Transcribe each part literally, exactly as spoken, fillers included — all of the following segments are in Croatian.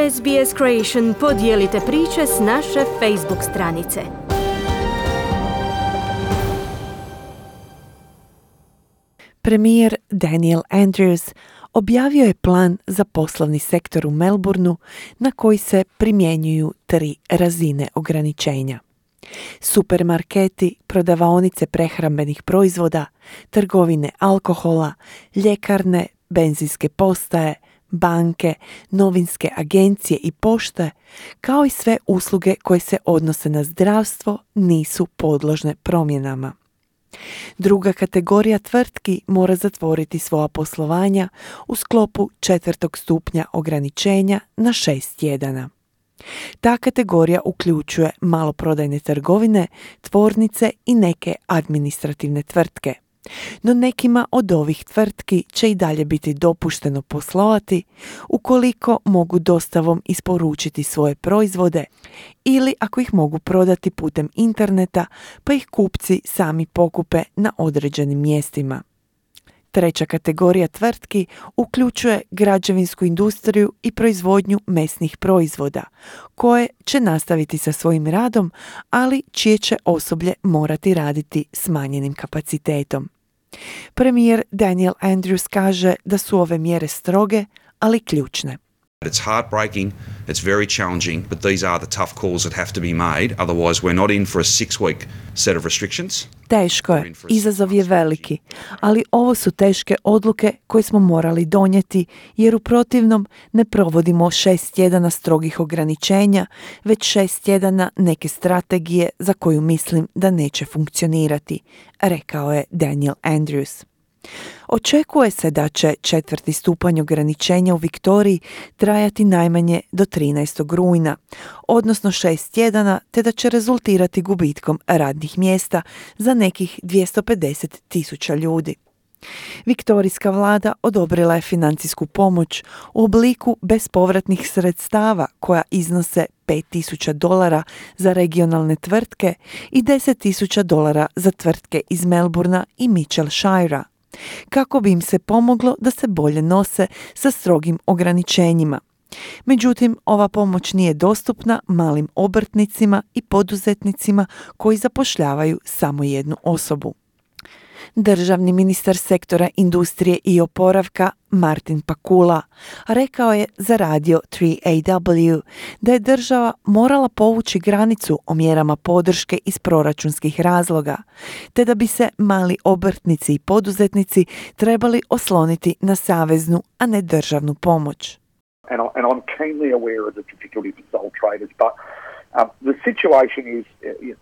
S B S Creation podijelite priče s naše Facebook stranice. Premijer Daniel Andrews objavio je plan za poslovni sektor u Melbourneu na koji se primjenjuju tri razine ograničenja. Supermarketi, prodavaonice prehrambenih proizvoda, trgovine alkohola, ljekarne, benzinske postaje, banke, novinske agencije i pošte, kao i sve usluge koje se odnose na zdravstvo, nisu podložne promjenama. Druga kategorija tvrtki mora zatvoriti svoja poslovanja u sklopu četvrtog stupnja ograničenja na šest tjedana. Ta kategorija uključuje maloprodajne trgovine, tvornice i neke administrativne tvrtke. No nekima od ovih tvrtki će i dalje biti dopušteno poslovati ukoliko mogu dostavom isporučiti svoje proizvode ili ako ih mogu prodati putem interneta pa ih kupci sami pokupe na određenim mjestima. Treća kategorija tvrtki uključuje građevinsku industriju i proizvodnju mesnih proizvoda, koje će nastaviti sa svojim radom, ali čije će osoblje morati raditi smanjenim kapacitetom. Premijer Daniel Andrews kaže da su ove mjere stroge, ali ključne. It's heartbreaking, it's very challenging, but these are the tough calls that have to be made, otherwise we're not in for a six-week set of restrictions. Teško je, izazov je veliki, ali ovo su teške odluke koje smo morali donijeti, jer u protivnom ne provodimo šest tjedana strogih ograničenja, već šest tjedana neke strategije za koju mislim da neće funkcionirati, rekao je Daniel Andrews. Očekuje se da će četvrti stupanj ograničenja u Viktoriji trajati najmanje do trinaestog rujna, odnosno šest tjedana, te da će rezultirati gubitkom radnih mjesta za nekih dvjesto pedeset tisuća ljudi. Viktorijska vlada odobrila je financijsku pomoć u obliku bespovratnih sredstava koja iznose pet tisuća dolara za regionalne tvrtke i deset tisuća dolara za tvrtke iz Melbournea i Mitchellshirea, kako bi im se pomoglo da se bolje nose sa strogim ograničenjima. Međutim, ova pomoć nije dostupna malim obrtnicima i poduzetnicima koji zapošljavaju samo jednu osobu. Državni ministar sektora industrije i oporavka Martin Pakula rekao je za radio tri A W da je država morala povući granicu o mjerama podrške iz proračunskih razloga, te da bi se mali obrtnici i poduzetnici trebali osloniti na saveznu, a ne državnu pomoć. And, I, and I'm keenly aware of the difficulty for sole traders, but Um, the situation is, is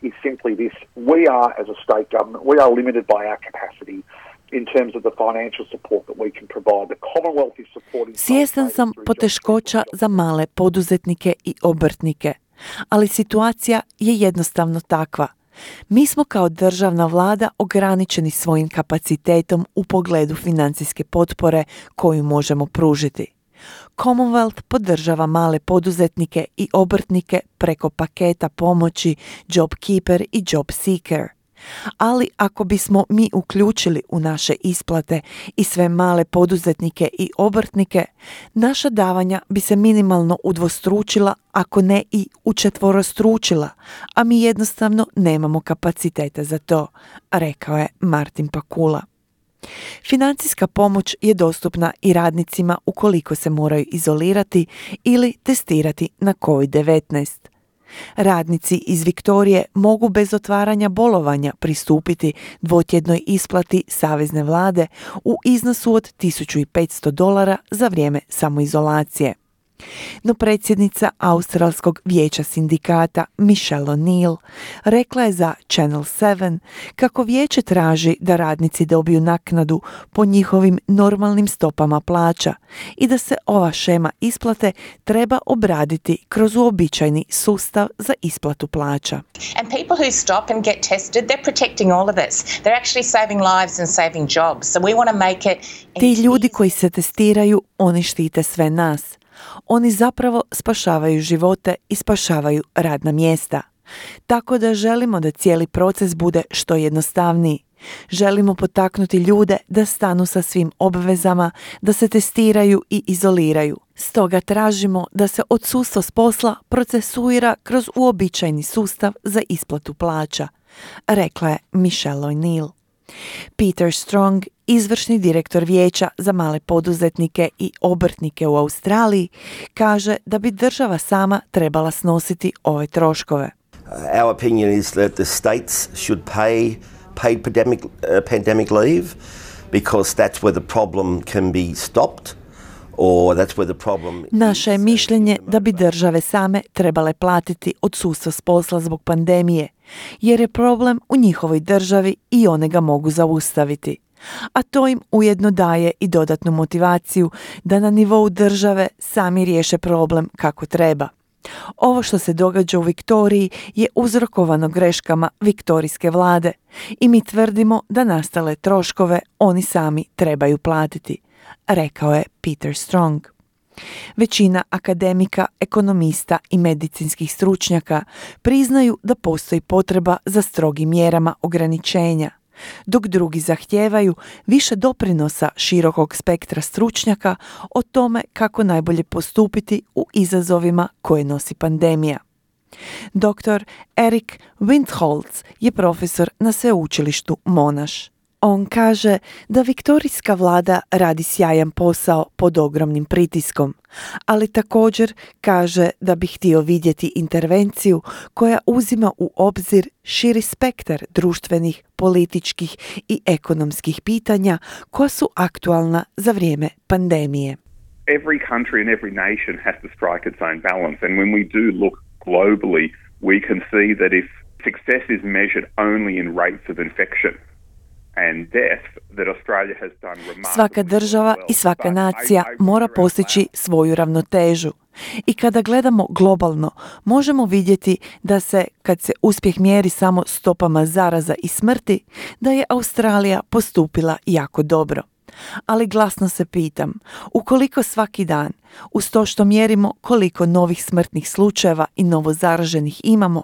is simply this. We are, as a state government, we are limited by our capacity in terms of the financial support that we can provide. The Commonwealth is supporting... Svjestan sam poteškoća za male poduzetnike i obrtnike, ali situacija je jednostavno takva. Mi smo kao državna vlada ograničeni svojim kapacitetom u pogledu financijske potpore koju možemo pružiti. Commonwealth podržava male poduzetnike i obrtnike preko paketa pomoći JobKeeper i JobSeeker. Ali ako bismo mi uključili u naše isplate i sve male poduzetnike i obrtnike, naša davanja bi se minimalno udvostručila, ako ne i učetvorostručila, a mi jednostavno nemamo kapaciteta za to, rekao je Martin Pakula. Financijska pomoć je dostupna i radnicima ukoliko se moraju izolirati ili testirati na kovid devetnaest. Radnici iz Viktorije mogu bez otvaranja bolovanja pristupiti dvotjednoj isplati savezne vlade u iznosu od tisuću petsto dolara za vrijeme samoizolacije. No predsjednica Australskog vijeća sindikata Michelle O'Neill rekla je za Channel sedam kako vijeće traži da radnici dobiju naknadu po njihovim normalnim stopama plaća i da se ova šema isplate treba obraditi kroz uobičajeni sustav za isplatu plaća. And people who stop and get tested, they're protecting all of us. They're actually saving lives and saving jobs. So we want to make it... Ti ljudi koji se testiraju, oni štite sve nas. Oni zapravo spašavaju živote i spašavaju radna mjesta. Tako da želimo da cijeli proces bude što jednostavniji. Želimo potaknuti ljude da stanu sa svim obvezama, da se testiraju i izoliraju. Stoga tražimo da se odsustvo s posla procesuira kroz uobičajeni sustav za isplatu plaća, rekla je Michelle O'Neill. Peter Strong, izvršni direktor Vijeća za male poduzetnike i obrtnike u Australiji, kaže da bi država sama trebala snositi ove troškove. Our opinion is that the states should pay paid pandemic, uh, pandemic leave because that's where the problem can be stopped. Or that's where the problem Naše je mišljenje da bi države same trebale platiti odsustvo s posla zbog pandemije, jer je problem u njihovoj državi i one ga mogu zaustaviti. A to im ujedno daje i dodatnu motivaciju da na nivou države sami riješe problem kako treba. Ovo što se događa u Viktoriji je uzrokovano greškama viktorijske vlade i mi tvrdimo da nastale troškove oni sami trebaju platiti, rekao je Peter Strong. Većina akademika, ekonomista i medicinskih stručnjaka priznaju da postoji potreba za strogim mjerama ograničenja, dok drugi zahtijevaju više doprinosa širokog spektra stručnjaka o tome kako najbolje postupiti u izazovima koje nosi pandemija. doktor Eric Windholz je profesor na sveučilištu Monash. On kaže da viktorijska vlada radi sjajan posao pod ogromnim pritiskom, ali također kaže da bi htio vidjeti intervenciju koja uzima u obzir širi spektar društvenih, političkih i ekonomskih pitanja koja su aktualna za vrijeme pandemije. Every country and every nation has to strike its own balance, and when we do look globally, we can see that if success is measured only in rates of infection and death, that Australia has done remarkably. Svaka država i svaka nacija mora postići svoju ravnotežu. I kada gledamo globalno, možemo vidjeti da se, kad se uspjeh mjeri samo stopama zaraza i smrti, da je Australija postupila jako dobro. Ali glasno se pitam, ukoliko svaki dan, uz to što mjerimo koliko novih smrtnih slučajeva i novozaraženih imamo,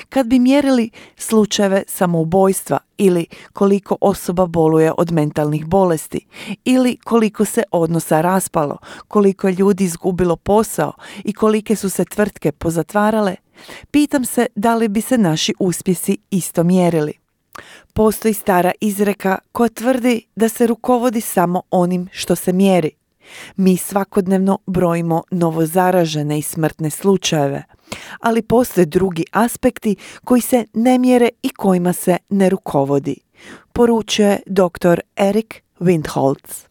kad bi mjerili slučajeve samoubojstva ili koliko osoba boluje od mentalnih bolesti ili koliko se odnosa raspalo, koliko je ljudi izgubilo posao i kolike su se tvrtke pozatvarale, pitam se da li bi se naši uspjesi isto mjerili. Postoji stara izreka koja tvrdi da se rukovodi samo onim što se mjeri. Mi svakodnevno brojimo novozaražene i smrtne slučajeve, ali postoje drugi aspekti koji se ne mjere i kojima se ne rukovodi, poručuje doktor Eric Windholz.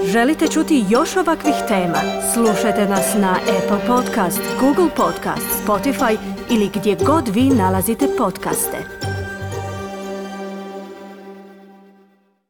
Želite čuti još ovakvih tema? Slušajte nas na Apple Podcast, Google Podcast, Spotify ili gdje god vi nalazite podcaste.